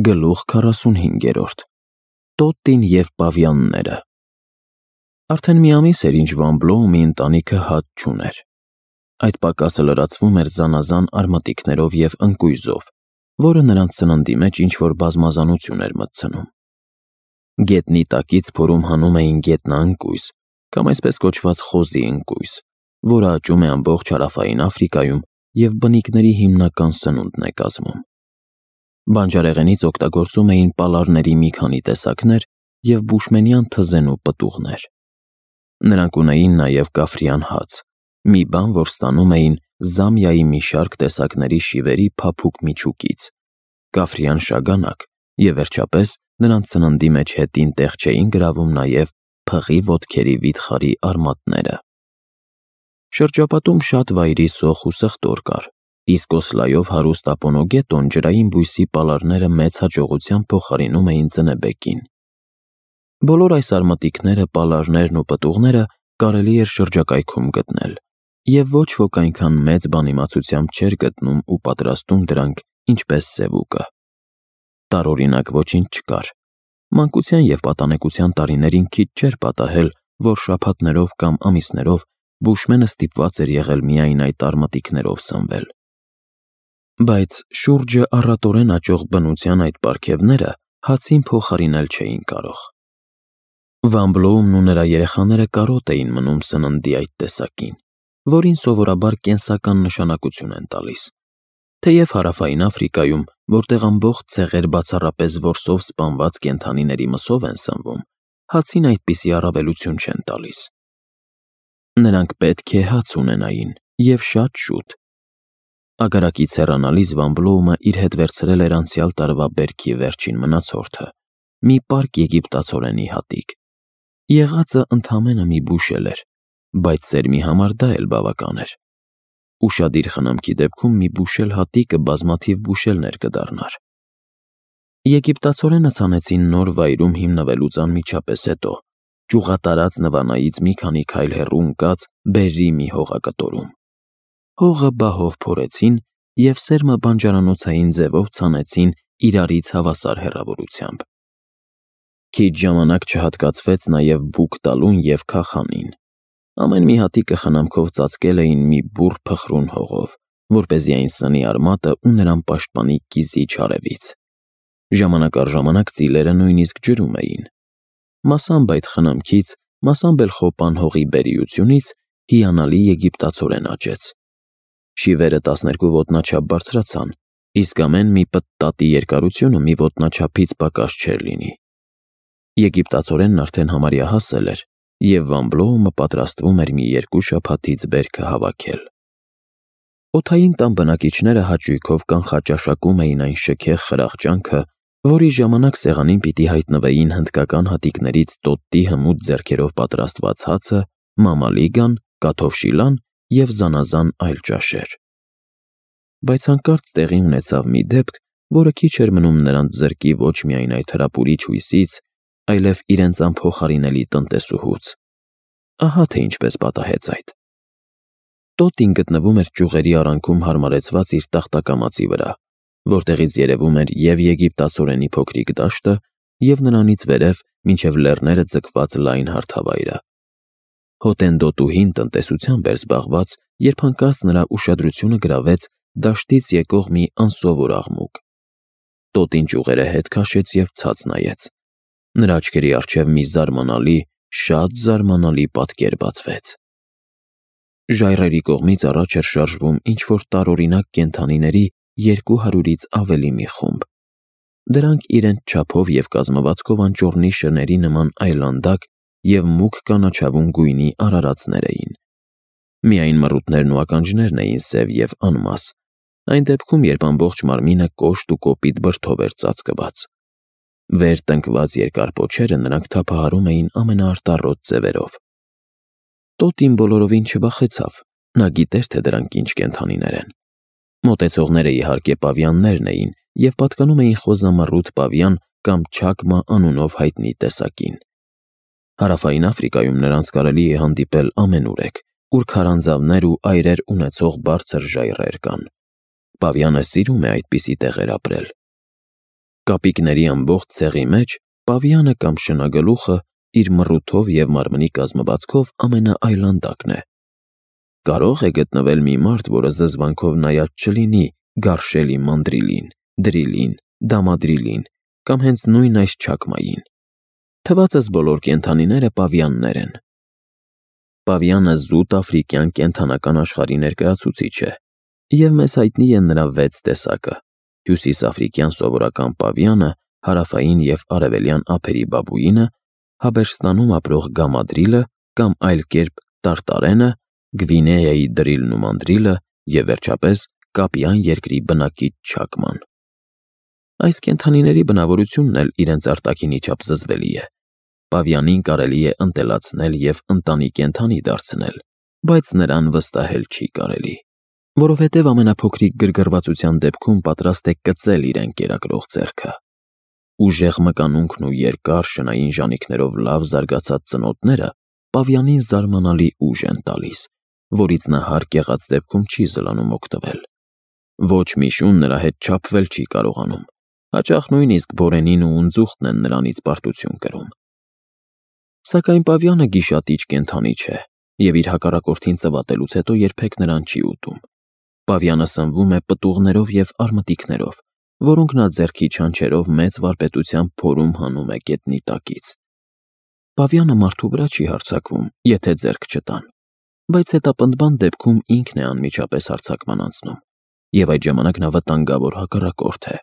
Գլուխ 45 Տոտտին և պավյանները։ Արդեն մի ամիս էր, ինչ Վան Բլոումի ընտանիքը հաց չուներ։ Այդ պակասը լրացվում էր զանազան արմատիկներով և ընկույզով, որը նրանց սննդի մեջ ինչ-որ բազմազանություն էր մտցնում։ Գետնի տակից փորում հանում էին գետնաընկույզ, կամ այսպես կոչված խոզի ընկույզ, որը աճում է ամբողջ Հարավային Աֆրիկայում և բնիկների հիմնական սնունդն է կազմում։ Բանջարեղենից օգտագործում էին պալարների մի քանի տեսակներ և բուշմենյան թզենու պտուղներ։ Նրանք ունեին նաև կաֆրիան հաց, մի բան, որ ստանում էին Զամբիայի մի շարք տեսակների շիվերի փափուկ միջուկից, կաֆրիան շագանակ և վերջապես նրանց սննդի մեջ հետին տեղ չէին գրավում նաև փղի ոտքերի վիթխարի արմատները։ Շրջապատում շատ վայրի սոխ ու սխտոր կար, իսկ Օսլայով հարուստ Ապոնոգետոն ջրային բույսի պալարները մեծ հաջողությամբ փոխարինում էին ձնեբեկին։ Բոլոր այս արմատիկները, պալարներն ու պտուղները կարելի էր շրջակայքում գտնել, և ոչ ոք այնքան մեծ բանիմացությամբ չէր գտնում ու պատրաստում դրանք, ինչպես սևուկը։ Տարօրինակ ոչինչ չկար։ Մանկության և պատանեկության տարիներին քիչ չէր պատահել, որ շաբաթներով կամ ամիսներով բուշմենը ստիպված էր եղել միայն այդ արմատիկներով սնվել։ Բայց շուրջը առատորեն աճող բնության այդ պարգևները հացին փոխարինել չէին կարող։ Վան Բլոումն ու նրա երեխաները կարոտ էին մնում սննդի այդ տեսակին, որին սովորաբար կենսական նշանակություն են տալիս։ Թեև Հարավային Աֆրիկայում, որտեղ ամբողջ ցեղեր բացառապես որսով սպանված կենդանիների մսով են սնվում, հացին այդպիսի առավելություն չեն տալիս։ Նրանք պետք է հաց ունենային, և շատ շուտ։ Ագարակից հեռանալիս Վան Բլոումը իր հետ վերցրել էր անցյալ տարվա բերքի վերջին մնացորդը՝ մի պարկ եգիպտացորենի հատիկ։ Եղածը ընդամենը մի բուշել էր, բայց սերմի համար դա էլ բավական էր։ Ուշադիր խնամքի դեպքում մի բուշել հատիկը բազմաթիվ բուշելներ կդառնար։ Եգիպտացորենը ցանեցին նոր վայրում հիմնվելուց անմիջապես հետո, ճյուղատարած Նվանայից մի քանի քայլ հեռու ընկած բերրի մի հողակտորում։ Հողը բահով փորեցին և սերմը բանջարանոցային ձևով ցանեցին իրարից հավասար հեռավորությամբ։ Քիչ ժամանակ չհատկացվեց նաև բուկ տալուն և քախանին։ Ամեն մի հատիկը խնամքով ծածկել էին մի բուռ փխրուն հողով, որպեսզի այն սնի արմատը ու նրան պաշտպանի կիզիչ արևից։ Ժամանակ առ ժամանակ ծիլերը նույնիսկ ջրում էին։ Մասամբ այդ խնամքից, մասամբ էլ խոպան հողի բերիությունից հիանալի եգիպտացորեն աճեց։ Շիվերը 12 ոտնաչափ բարձրացան, իսկ ամեն մի պտտատի երկարությունը մի ոտնաչափից պակաս չէր լինի։ Եգիպտացորենն արդեն համարյա հասել էր, և Վան Բլոումը պատրաստվում էր մի 2 շաբաթից բերքը հավաքել։ Օդային տան բնակիչները հաճույքով կանխաճաշակում էին այն շքեղ խրախճանքը, որի ժամանակ սեղանին պիտի հայտնվեին հնդկական հատիկներից տոտտի հմուտ ձեռքերով պատրաստված հացը, մամալիգան, կաթով շիլան և զանազան այլ ճաշեր։ Բայց հանկարծ տեղի ունեցավ մի դեպք, որը քիչ էր մնում նրանց զրկի ոչ միայն այդ հրապուրիչ հույսից, այլև իրենց անփոխարինելի տնտեսուհուց։ Ահա թե ինչպես պատահեց այդ։ Տոտտին գտնվում էր ճյուղերի արանքում հարմարեցված իր տախտակամածի վրա, որտեղից երևում էր և եգիպտացորենի փոքրիկ դաշտը, և նրանից վերև մինչև լեռները ձգված լայն հարթավայրը։ Հոտենտոտուհին տնտեսությամբ էր զբաղված, երբ հանկարծ նրա ուշադրությունը գրավեց դաշտից եկող մի անսովոր աղմուկ։ Տոտին ճյուղերը հետ քաշեց և ցած նայեց։ Նրա աչքերի առջև մի զարմանալի, շատ զարմանալի պատկեր բացվեց։ Ժայռերի կողմից առաջ էր շարժվում ինչ-որ տարօրինակ կենդանիների 200-ից ավելի մի խումբ։ Դրանք իրենց չափով և կազմվածքով անճոռնի շների նման այլանդակ և մուգ կանաչավուն գույնի արարածներ էին։ Միայն մռութներն ու ականջներն էին սև և անմաս, այն դեպքում, երբ ամբողջ մարմինը կոշտ ու կոպիտ բրդով էր ծածկված։ Վեր տնկված երկար պոչերը նրանք թափահարում էին ամենաարտառոտ ձևերով։ Տոտին բոլորովին չվախեցավ, նա գիտեր, թե դրանք ինչ կենդանիներ են։ Մոտեցողները իհարկե պավյաններն էին և պատկանում էին խոզամռութ պավյան կամ չակմա անունով հայտնի տեսակին։ Հարավային Աֆրիկայում նրանց կարելի է հանդիպել ամենուրեք, ուր քարանձավներ ու այրեր ունեցող բարձր ժայռեր կան։ Պավյանը սիրում է այդպիսի տեղեր ապրել։ Կապիկների ամբողջ ցեղի մեջ պավիանը կամ շնագլուխը իր մռութով և մարմնի կազմվածքով ամենաայլանդակն է։ Կարող է գտնվել մի մարդ, որը զզվանքով նայած չլինի Գարշելի մանդրիլին, դրիլին, դամադրիլին կամ հենց նույն այս չակմային։ Թվածս բոլոր կենդանիները պավիաններ են։ Պավիանը զուտ աֆրիկյան կենդանական աշխարհի ներկայացուցիչ է, և մեզ հայտնի են նրա 6 տեսակը՝ հյուսիսաֆրիկյան սովորական պավիանը, հարավային և արևելյան ափերի բաբուինը, Հաբերստանում ապրող գամադրիլը կամ այլ կերպ տարտարենը, Գվինեայի դրիլն ու մանդրիլը և վերջապես Կապյան երկրի բնակիչ չակման։ Այս կենդանիների բնավորությունն էլ իրենց արտաքինի չափ զզվելի է։ Պավիանին կարելի է ընտելացնել և ընտանի կենդանի դարձնել, բայց նրան վստահել չի կարելի, որովհետև ամենափոքրիկ գրգռվածության դեպքում պատրաստ է կծել իրեն կերակրող ձեռքը։ Ուժեղ մկանունքն ու երկար շնային ժանիքներով լավ զարգացած ծնոտները պավիանին զարմանալի ուժ են տալիս, որից նա հարկ եղած դեպքում չի զլանում օգտվել։ Ոչ մի շուն նրա հետ չափվել չի կարողանում, հաճախ նույնիսկ բորենին ու ունձուխտն են նրանից պարտություն կրում։ Սակայն պավիանը գիշատիչ կենդանի չէ և իր հակառակորդին ծվատելուց հետո երբեք նրան չի ուտում։ Պավիանը սնվում է պտուղներով և արմտիկներով, որոնք նա ձեռքի չանչերով մեծ վարպետությամբ փորում հանում է գետնի տակից։ Պավիանը մարդու վրա չի հարձակվում, եթե ձեռք չտան, բայց հետապնդման դեպքում ինքն է անմիջապես հարձակման անցնում, և այդ ժամանակ նա վտանգավոր հակառակորդ է։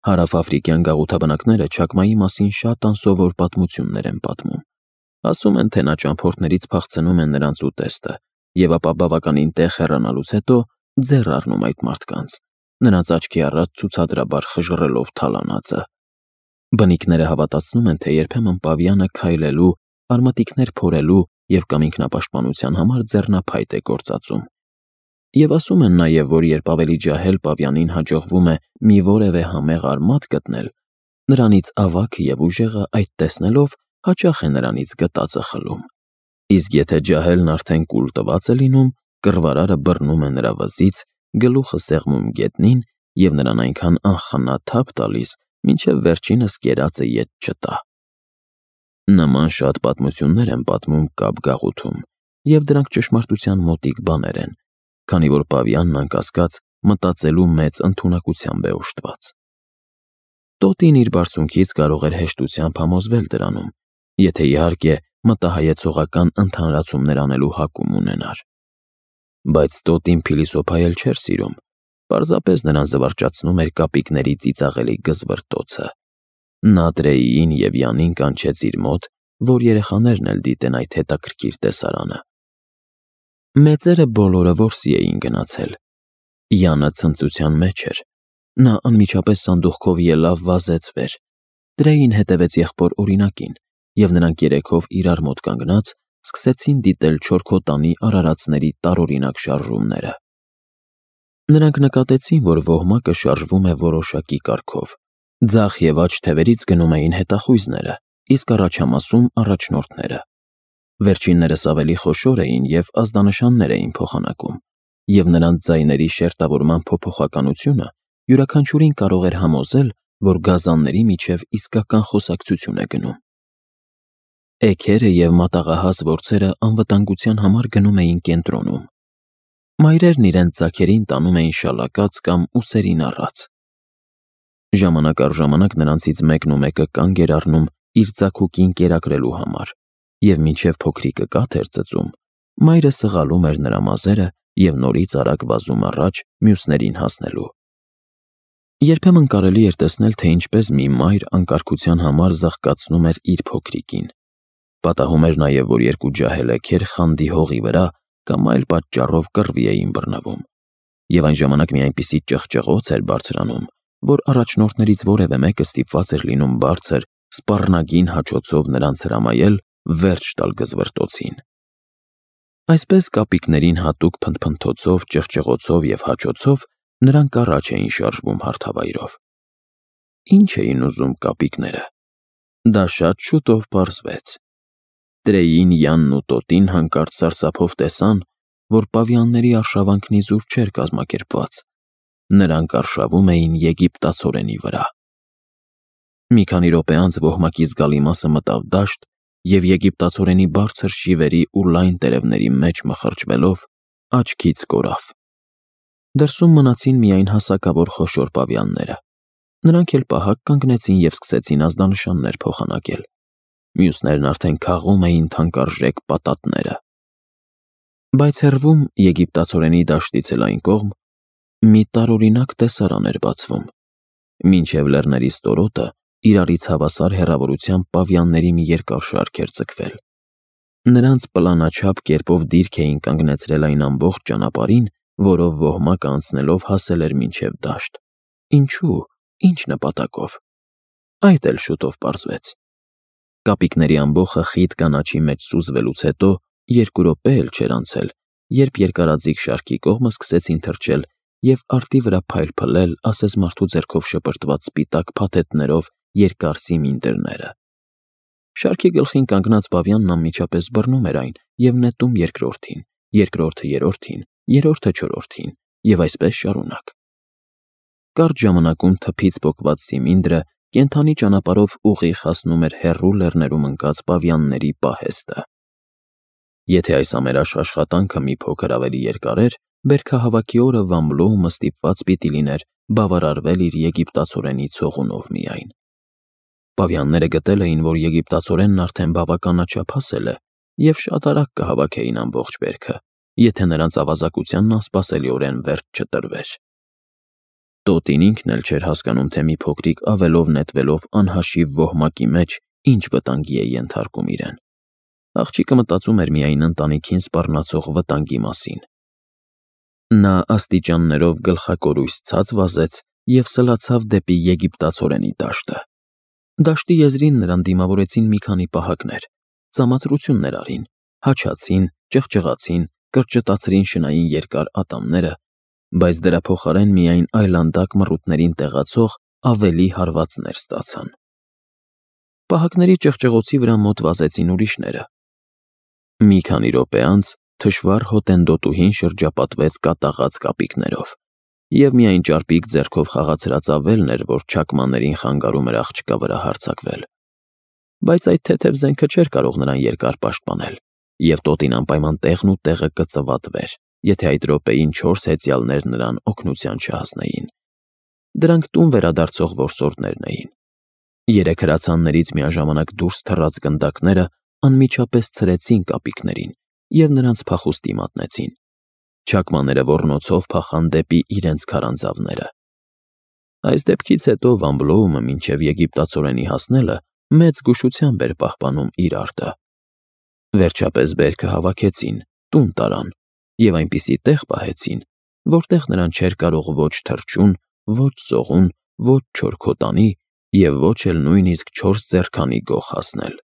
Հարավաֆրիկյան գաղութաբնակները չակմայի մասին շատ անսովոր պատմություններ են պատմում։ Ասում են, թե նա ճամփորդներից փախցնում է նրանց ուտեստը և ապա բավականին տեղ հեռանալուց հետո ձեռ առնում այդ մարդկանց, նրանց աչքի առաջ ցուցադրաբար խժռելով թալանածը։ Բնիկները հավատացնում են, թե երբեմն պավիանը քայլելու, արմատիկներ փորելու և կամ ինքնապաշտպանության համար ձեռնափայտ է գործածում։ Եվ ասում են նաև, որ երբ ավելի ջահել պավիանին հաջողվում է մի որևէ համեղ արմատ գտնել, նրանից ավագը և ուժեղը այդ տեսնելով հաճախ է նրանից գտածը խլում։ Իսկ եթե ջահելն արդեն կուլ տված է լինում, կռվարարը բռնում է նրա վզից, գլուխը սեղմում գետնին և նրան այնքան անխնա թափ տալիս, մինչև վերջինս կերածը ետ չտա։ Նման շատ պատմություններ են պատմում Կապ գաղութում, և դրանք ճշմարտության մոտիկ բաներ են, քանի որ պավիանն անկասկած մտածելու մեծ ընդունակությամբ է օժտված։ Տոտին իր բարձունքից կարող էր հեշտությամբ համոզվել դրանում, եթե իհարկե մտահայեցողական ընդհանրացումներ անելու հակում ունենար։ Բայց Տոտին փիլիսոփայել չէր սիրում, պարզապես նրան զվարճացնում էր կապիկների ծիծաղելի գզվռտոցը։ Նա Տրեյին և Յանին կանչեց իր մոտ, որ երեխաներն էլ դիտեն այդ հետաքրքիր տեսարանը։ Մեծերը բոլորը որսի էին գնացել։ Յանը ցնծության մեջ էր։ Նա անմիջապես սանդուղքով ելավ վազեց վեր։ Տրեյին հետևեց եղբոր օրինակին, և նրանք երեքով իրար մոտ կանգնած սկսեցին դիտել չորքոտանի արարածների տարօրինակ շարժումները։ Նրանք նկատեցին, որ ոհմակը շարժվում է որոշակի կարգով։ Ձախ և աջ թևերից գնում էին հետախույզները, իսկ առաջամասում առաջնորդները։ Վերջիններս ավելի խոշոր էին և ազդանշաններ էին փոխանակում, և նրանց ձայների շերտավորման փոփոխականությունը յուրաքանչյուրին կարող էր համոզել, որ գազանների միջև իսկական խոսակցություն է գնում։ Էգերը և մատաղահաս որձերը անվտանգության համար գնում էին կենտրոնում։ Մայրերն իրենց ձագերին տանում էին շալակած կամ ուսերին առած։ Ժամանակ առ ժամանակ նրանցից մեկն ու մեկը կանգ էր առնում իր ձագուկին կերակրելու համար, և մինչև փոքրիկը կաթ էր ծծում, մայրը սղալում էր նրա մազերը և նորից արագ վազում առաջ մյուսներին հասնելու։ Երբեմն կարելի էր տեսնել, թե ինչպես մի մայր անկարգության համար զղկացնում էր իր փոքրիկին։ Պատահում էր նաև, որ երկու ջահել էգեր խանդի հողի վրա կամ այլ պատճառով կռվի էին բռնվում, և այն ժամանակ մի այնպիսի ճղճղոց էր բարձրանում, որ առաջնորդներից որևէ մեկը ստիպված էր լինում բարձր, սպառնագին հաչոցով նրանց հրամայել վերջ տալ գզվռտոցին։ Այսպես կապիկներին հատուկ փնթփնթոցով, ճղճղոցով և հաչոցով նրանք առաջ էին շարժվում հարթավայրով։ Ինչ էին ուզում կապիկները։ Դա շատ շուտով պարզվեց։ Տրեյին, Յանն ու Տոտին հանկարծ սարսափով տեսան, որ պավիանների արշավանքն իզուր չէր կազմակերպված։ Նրանք արշավում էին եգիպտացորենի վրա։ Մի քանի րոպե անց ոհմակի զգալի մասը մտավ դաշտ և եգիպտացորենի բարձր շիվերի ու լայն տերևների մեջ մխրճվելով աչքից կորավ։ Դրսում մնացին միայն հասակավոր խոշոր պավիանները։ Նրանք էլ պահակ կանգնեցին և սկսեցին ազդանշաններ փոխանակել։ Մյուսներն արդեն քաղում էին թանկարժեք պատատները։ Բայց հեռվում եգիպտացորենի դաշտից էլ այն կողմ մի տարօրինակ տեսարան էր բացվում։ Մինչև լեռների ստորոտը իրարից հավասար հեռավորությամբ պավիանների մի երկար շարք էր ձգվել։ Նրանց պլանաչափ կերպով դիրք էին կանգնեցրել այն ամբողջ ճանապարհին, որով ոհմակը անցնելով հասել էր մինչև դաշտ։ Ինչու՞, ինչ նպատակով։ Այդ էլ շուտով պարզվեց։ Կապիկների ամբոխը խիտ կանաչի մեջ սուզվելուց հետո 2 րոպե էլ չէր անցել, երբ երկարաձիգ շարքի կողմը սկսեցին թրջել և արտի վրա փայլփլել ասես մարդու ձեռքով շպրտված սպիտակ փաթեթներով երկար սիմինդրները։ Շարքի գլխին կանգնած պավիանն անմիջապես բռնում էր այն և նետում երկրորդին, երկրորդը երրորդին, երրորդը չորրորդին և այսպես շարունակ։ Կարճ ժամանակում թփից պոկված սիմինդրը կենդանի ճանապարհով ուղիղ հասնում էր հեռու լեռներում ընկած պավիանների պահեստը։ Եթե այս ամենաշ աշխատանքը մի փոքր ավելի երկար էր, բերքահավաքի օրը Վան Բլոումը ստիպված պիտի լիներ բավարարվել իր եգիպտացորենի ցողունով միայն։ Պավիանները գտել էին, որ եգիպտացորենն արդեն բավականաչափ հասել է և շատ արագ կհավաքեին ամբողջ բերքը, եթե նրանց ավազակությանն անսպասելիորեն վերջ չտրվեր։ Տոտին ինքն էլ չէր հասկանում, թե մի փոքրիկ ավելով նետվելով անհաշիվ ոհմակի մեջ ինչ վտանգի է ենթարկում իրեն։ Աղջիկը մտածում էր միայն ընտանիքին սպառնացող վտանգի մասին։ Նա աստիճաններով գլխակորույս ցած վազեց և սլացավ դեպի եգիպտացորենի դաշտը։ Դաշտի եզրին նրան դիմավորեցին մի քանի պահակներ, ծամացրություններ արին, հաչացին, ճղճղացին, կրճտացրին շնային երկար ատամները, բայց դրա փոխարեն միայն այլանդակ մռութներին տեղացող ավելի հարվածներ ստացան։ Պահակների ճղճղոցի վրա մոտ վազեցին ուրիշները։ Մի քանի րոպե անց թշվառ հոտենտոտուհին շրջապատվեց կատաղած կապիկներով, և միայն ճարպիկ ձեռքով խաղացրած ավելն էր, որ չակմաներին խանգարում էր աղջկա վրա հարձակվել։ Բայց այդ թեթև զենքը չէր կարող նրան երկար պաշտպանել, և տոտին անպայման տեղն ու տեղը կծվատվեր, եթե այդ րոպեին 4 հեծյալներ նրան օգնության չհասնեին։ Դրանք տուն վերադարձող որսորդներն էին։ 3 հրացաններից միաժամանակ դուրս թռած գնդակները անմիջապես ցրեցին կապիկներին և նրանց փախուստի մատնեցին։ Չակմաները ոռնոցով փախան դեպի իրենց քարանձավները։ Այս դեպքից հետո Վան Բլոումը մինչև եգիպտացորենի հասնելը մեծ զգուշությամբ էր պահպանում իր արտը։ Վերջապես բերքը հավաքեցին, տուն տարան և այնպիսի տեղ պահեցին, որտեղ նրան չէր կարող ոչ թռչուն, ոչ ծողուն, ոչ չոր քոտանի և ոչ էլ նույնիսկ 4 ձեռքանի գող հասնել։